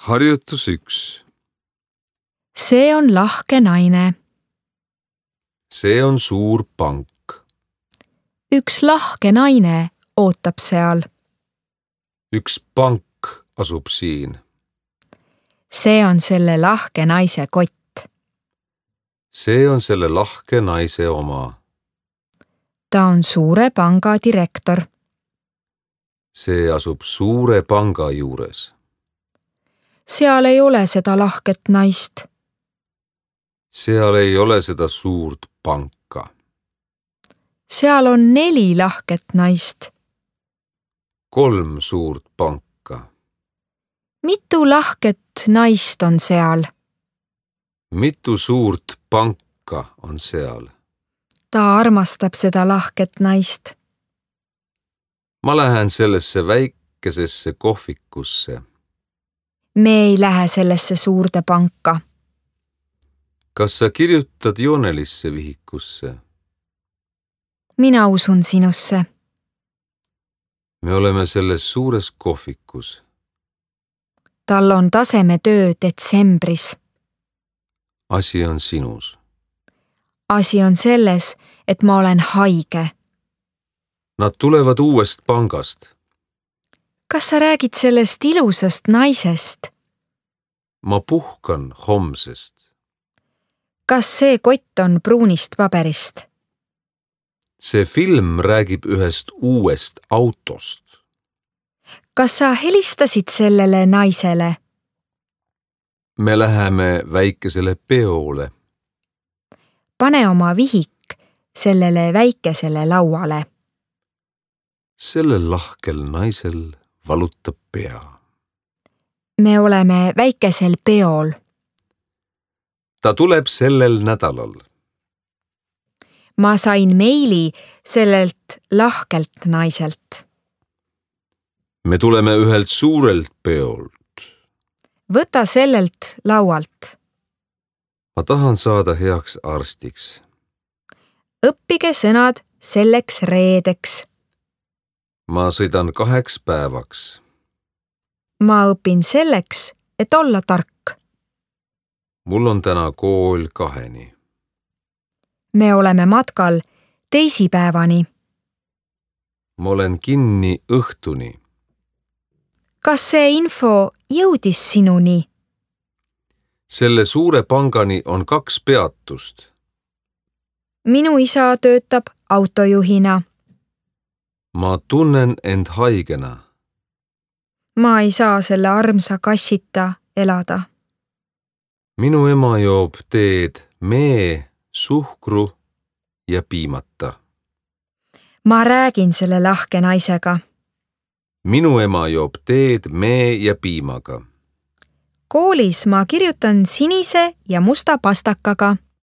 Harjutus 1. See on lahke naine. See on suur pank. Üks lahke naine ootab seal. Üks pank asub siin. See on selle lahke naise kott. See on selle lahke naise oma. Ta on suure panga direktor. See asub suure panga juures. Seal ei ole seda lahket naist. Seal ei ole seda suurt panka. Seal on 4 lahket naist. 3 suurt panka. Mitu lahket naist on seal? Mitu suurt panka on seal? Ta armastab seda lahket naist. Ma lähen sellesse väikesesse kohvikusse. Me ei lähe sellesse suurde panka. Kas sa kirjutad joonelisse vihikusse? Mina usun sinusse. Me oleme selles suures kohvikus. Tal on tasemetöö detsembris. Asi on sinus. Asi on selles, et ma olen haige. Nad tulevad uuest pangast. Kas sa räägid sellest ilusast naisest? Ma puhkan homsest. Kas see kott on pruunist paberist? See film räägib ühest uuest autost. Kas sa helistasid sellele naisele? Me läheme väikesele peole. Pane oma vihik sellele väikesele lauale. Sellel lahkel naisel valutab pea. Me oleme väikesel peol. Ta tuleb sellel nädalal. Ma sain meili sellelt lahkelt naiselt. Me tuleme ühelt suurelt peolt. Võta sellelt laualt. Ma tahan saada heaks arstiks. Õppige sõnad selleks reedeks. Ma sõidan 2 päevaks. Ma õpin selleks, et olla tark. Mul on täna kool 2-ni. Me oleme matkal teisipäevani. Ma olen kinni õhtuni. Kas see info jõudis sinuni? Selle suure pangani on 2 peatust. Minu isa töötab autojuhina. Ma tunnen end haigena. Ma ei saa selle armsa kassita elada. Minu ema joob teed mee, suhkru ja piimata. Ma räägin selle lahke naisega. Minu ema joob teed mee ja piimaga. Koolis ma kirjutan sinise ja musta pastakaga.